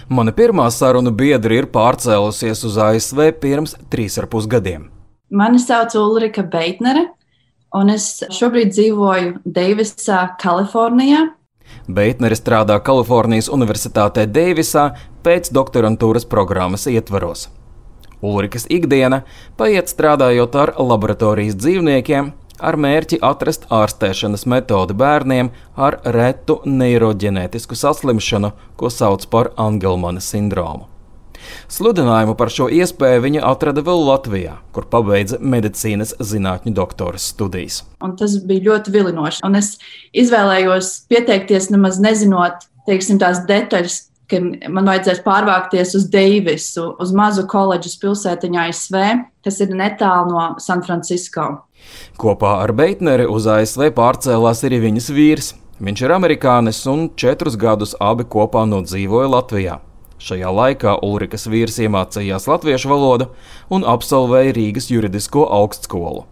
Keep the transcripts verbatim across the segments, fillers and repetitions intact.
Mana pirmā sarunu biedra ir pārcēlusies uz A S V pirms trīs ar pus gadiem. Mani sauc Ulrika Beitnere, un es šobrīd dzīvoju Deivisā, Kalifornijā. Beitnere strādā Kalifornijas Universitātē Deivisā pēc doktorantūras programmas ietvaros. Ulrikas ikdiena paiet strādājot ar laboratorijas dzīvniekiem, ar mērķi atrast ārstēšanas metodi bērniem ar retu neiroģenētisku saslimšanu, ko sauc par Angelmana sindromu. Sludinājumu par šo iespēju viņa atrada vēl Latvijā, kur pabeidza medicīnas zinātņu doktoras studijas. Un tas bija ļoti vilinoši. Un es izvēlējos pieteikties nemaz nezinot, teiksim, tās detaļas, ka man vajadzēs pārvākties uz Deivisu, uz mazu koledžas pilsētiņu A S V, kas ir netālu no San Francisco. Kopā ar Beitneri uz A S V pārcēlās arī viņas vīrs. Viņš ir amerikānis un četrus gadus abi kopā nodzīvoja Latvijā. Šajā laikā Ulrikas vīrs iemācījās latviešu valodu un absolvēja Rīgas juridisko augstskolu.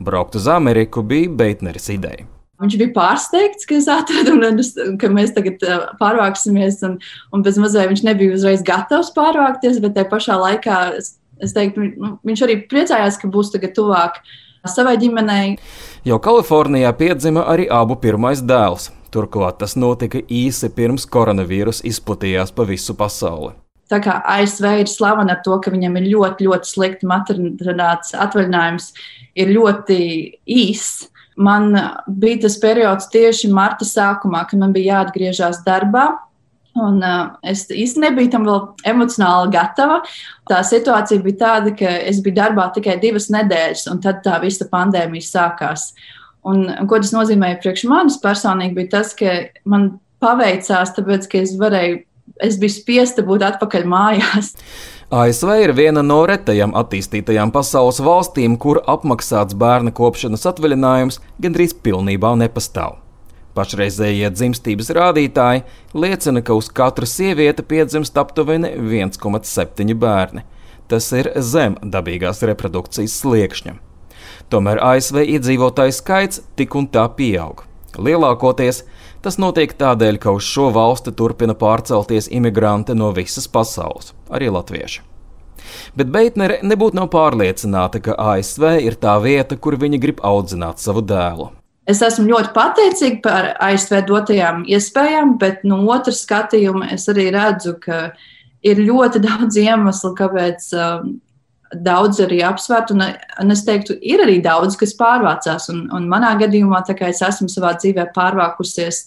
Braukt uz Ameriku bija Beitneres ideja. Viņš bija pārsteigts, ka es atradu, un ka mēs tagad pārvāksimies, un, un bez mazliet viņš nebija uzreiz gatavs pārvākties, bet tajā pašā laikā es, es teiktu, nu, viņš arī priecājās, ka būs tagad tuvāk savai ģimenei. Jau Kalifornijā piedzima arī abu pirmais dēls. Turklāt tas notika īsi pirms koronavīrus izplatījās pa visu pasauli. Tā kā A S V ir slavena ar to, ka viņam ir ļoti, ļoti slikti maternitātes atvaļinājums, ir ļoti īss. Man bija tas periods tieši marta sākumā, kad man bija jāatgriežas darbā, un uh, es īsti nebiju tam vēl emocionāli gatava. Tā situācija bija tāda, ka es biju darbā tikai divas nedēļas, un tad tā visa pandēmija sākās. Un, un ko tas nozīmēja priekš manis personīgi, bija tas, ka man paveicās, tāpēc, ka es varēju, es biju spiesta būt atpakaļ mājās. A S V ir viena no retajām attīstītajām pasaules valstīm, kur apmaksāts bērna kopšanas atvaļinājums gandrīz pilnībā nepastāv. Pašreizējie dzimstības rādītāji liecina, ka uz katru sievieti piedzimst aptuveni viens komats septiņi bērni. Tas ir zem dabīgās reprodukcijas sliekšņa. Tomēr A S V iedzīvotāju skaits tik un tā pieaug. Lielākoties tas notiek tādēļ, ka uz šo valsti turpina pārcelties imigranti no visas pasaules, arī latvieši. Bet Beitnere nebūtu nav pārliecināta, ka A S V ir tā vieta, kur viņa grib audzināt savu dēlu. Es esmu ļoti pateicīga par A S V dotajām iespējām, bet no otras skatījuma es arī redzu, ka ir ļoti daudz iemeslu, kāpēc um, daudz arī apsvērt, un, un es teiktu, ir arī daudz, kas pārvācās, un, un manā gadījumā, tā kā es esmu savā dzīvē pārvākusies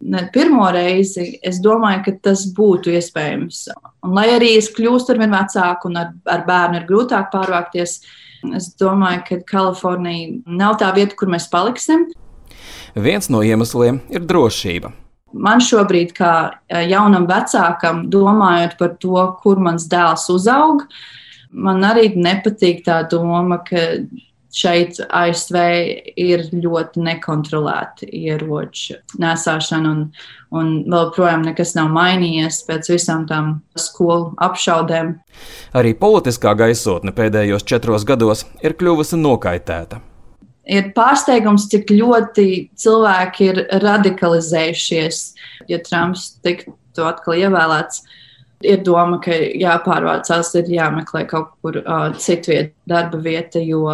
ne pirmo reizi, es domāju, ka tas būtu iespējams. Un lai arī es kļūstu arvien vecāku un ar, ar bērnu ir grūtāk pārvākties, es domāju, ka Kalifornija nav tā vieta, kur mēs paliksim. Viens no iemesliem ir drošība. Man šobrīd, kā jaunam vecākam, domājot par to, kur mans dēls uzaug, man arī nepatīk tā doma, ka šeit A S V ir ļoti nekontrolēta ieroču nesāšana, un, un vēl projām nekas nav mainījies pēc visām tām skolu apšaudēm. Arī politiskā gaisotne pēdējos četros gados ir kļuvusi nokaitēta. Ir pārsteigums, cik ļoti cilvēki ir radikalizējušies, ja Trumps tiktu atkal ievēlēts. Ir doma, ka jāpārvācās, ir jāmeklē kaut kur uh, citviet darba vieta, jo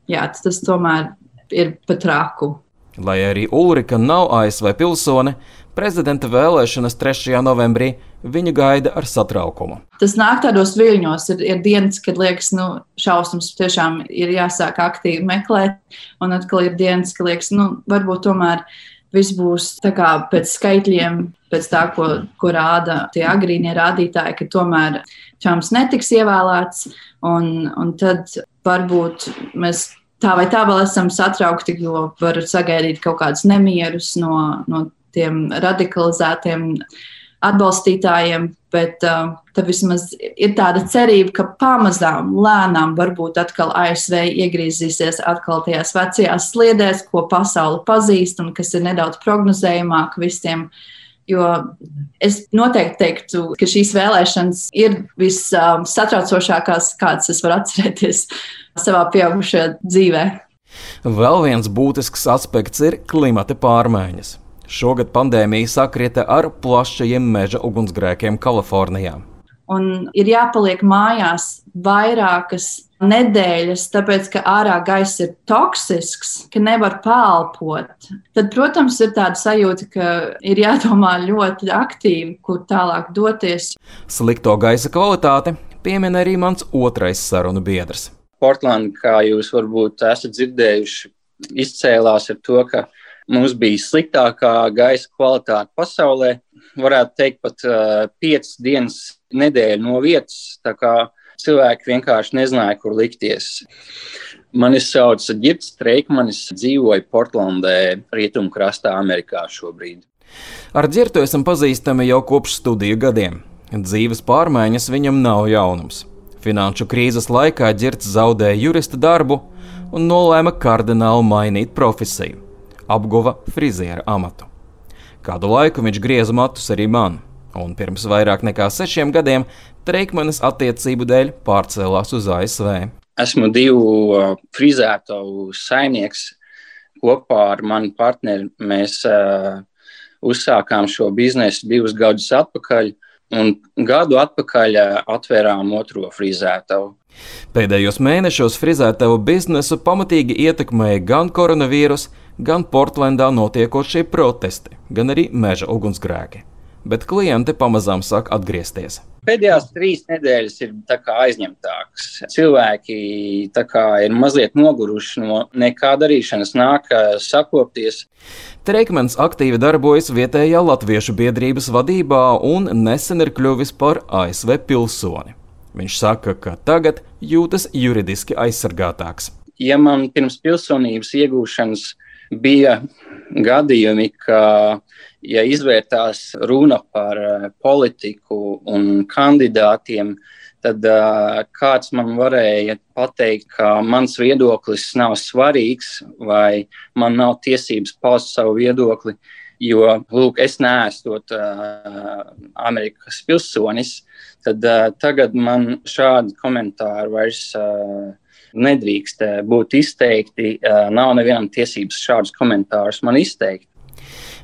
jā, tas tomēr ir pat traku. Lai arī Ulrika nav A S V pilsone, prezidenta vēlēšanas trešajā novembrī viņa gaida ar satraukumu. Tas nāk tādos viļņos, ir, ir dienas, kad liekas, nu, šausmas tiešām ir jāsāk aktīvi meklēt, un atkal ir dienas, ka liekas, nu, varbūt tomēr viss būs tā kā pēc skaitļiem, pēc tā, ko, ko rāda tie agrīnie rādītāji, ka tomēr Trumps netiks ievēlēts, un, un tad varbūt mēs tā vai tā vēl esam satraukti, jo var sagaidīt kaut kādus nemierus no, no tiem radikalizētiem atbalstītājiem, bet uh, tad vismaz ir tāda cerība, ka pamazām, lēnām varbūt atkal A S V iegriezīsies atkal tajās vecajās sliedēs, ko pasauli pazīst un kas ir nedaudz prognozējumāk visiem. Jo es noteikti teiktu, ka šīs vēlēšanas ir vissatraucošākās, kādas es varu atcerēties savā pieaugušajā dzīvē. Vēl viens būtisks aspekts ir klimata pārmaiņas. Šogad pandēmija sakrita ar plašajiem meža ugunsgrēkiem Kalifornijā. un ir jāpaliek mājās vairākas nedēļas, tāpēc, ka ārā gaiss ir toksisks, ka nevar pelpot, tad, protams, ir tāda sajūta, ka ir jādomā ļoti aktīvi, kur tālāk doties. Slikto gaisa kvalitāti piemin arī mans otrais sarunu biedrs. Portlanda, kā jūs varbūt esat dzirdējuši, izcēlās ar to, ka mums bija sliktākā gaisa kvalitāte pasaulē. Varētu teikt pat uh, piecas dienas nedēļa no vietas, tā kā cilvēki vienkārši nezināja, kur likties. Mani sauc Girts Treikmanis, dzīvoju Portlandē, rietumkrastā Amerikā šobrīd. Ar Girtu esam pazīstami jau kopš studiju gadiem. Dzīves pārmaiņas viņam nav jaunums. Finanšu krīzes laikā Girts zaudēja jurista darbu un nolēma kardināli mainīt profesiju. Apguva friziera amatu. Kādu laiku viņš grieza matus arī man, un pirms vairāk nekā sešiem gadiem Treikmanis attiecību dēļ pārcēlās uz A S V. Esmu divu uh, frizētavu saimnieks. Kopā ar mani partneri mēs uh, uzsākām šo biznesu divus gadus atpakaļ, un gadu atpakaļ uh, atvērām otro frizētavu. Pēdējos mēnešos frizētavu biznesu pamatīgi ietekmēja gan koronavīrus, gan Portlandā notiekošie protesti, gan arī meža ugunsgrēki. Bet klienti pamazām sāk atgriezties. Pēdējās trīs nedēļas ir tā kā aizņemtākas. Cilvēki tā kā ir mazliet noguruši no nekā darīšanas, nāk sakopties. Treikmanis aktīvi darbojas vietējā latviešu biedrības vadībā un nesen ir kļuvis par A S V pilsoni. Viņš saka, ka tagad jūtas juridiski aizsargātāks. Ja man pirms pilsonības iegūšanas bija gadījumi, ka, ja izvērtās runa par politiku un kandidātiem, tad uh, kāds man varēja pateikt, ka mans viedoklis nav svarīgs vai man nav tiesības paust savu viedokli, jo, lūk, es neesot uh, Amerikas pilsonis, tad uh, tagad man šādi komentāri vairs uh, nedrīkst būt izteikti, nav nevienam tiesības šādus komentārus man izteikt.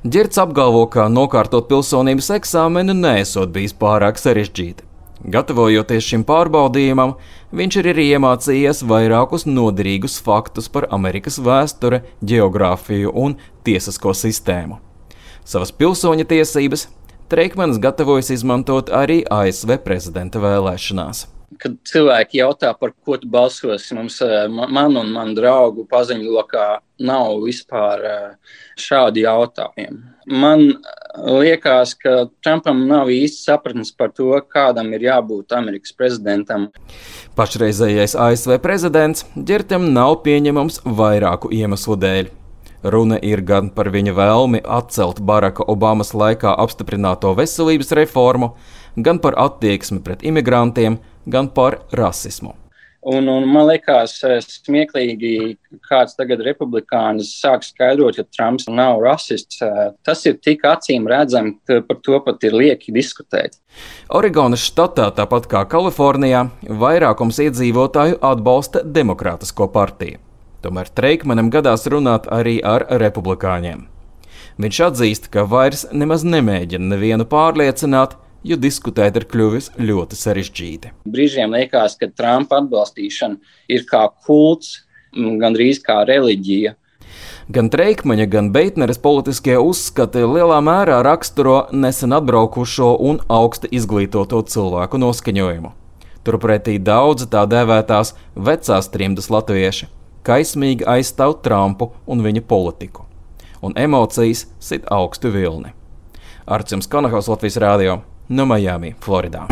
Girts apgalvo, ka nokārtot pilsonības eksāmenu neesot bijis pārāk sarežģīti. Gatavojoties šim pārbaudījumam, viņš ir arī iemācījies vairākus noderīgus faktus par Amerikas vēsturi, ģeogrāfiju un tiesisko sistēmu. Savas pilsoņa tiesības Treikmanis gatavojas izmantot arī A S V prezidenta vēlēšanās. Kad cilvēki jautā, par ko tu balsosi, mums, man un man draugu paziņlokā nav vispār šādi jautājumi. Man liekas, ka Trumpam nav īsti sapratnes par to, kādam ir jābūt Amerikas prezidentam. Pašreizējais A S V prezidents Girtam nav pieņemams vairāku iemeslu dēļ. Runa ir gan par viņa vēlmi atcelt Baraka Obamas laikā apstiprināto veselības reformu, gan par attieksmi pret imigrantiem, gan par rasismu. Un, un man liekas smieklīgi, kāds tagad republikānis sāk skaidrot, ka Trumps nav rasists. Tas ir tik acīm redzami, ka par to pat ir lieki diskutēt. Oregonas štatā, tāpat kā Kalifornijā, vairākums iedzīvotāju atbalsta Demokrātisko partiju. Tomēr Treikmanim gadās runāt arī ar republikāņiem. Viņš atzīst, ka vairs nemaz nemēģina nevienu pārliecināt, jo diskutēt ir kļuvis ļoti sarežģīti. Brīžiem liekas, ka Trumpa atbalstīšana ir kā kults, gandrīz kā reliģija. Gan Treikmaņa, gan Beitneres politiskie uzskati lielā mērā raksturo nesen atbraukušo un augsti izglītoto cilvēku noskaņojumu. Turpretī daudzi tā dēvētās vecās trimdas latvieši kaismīgi aizstāv Trumpu un viņa politiku, un emocijas sit augstu vilni. Arcis Konahaus, Latvijas Rādio, no Miami, Floridā.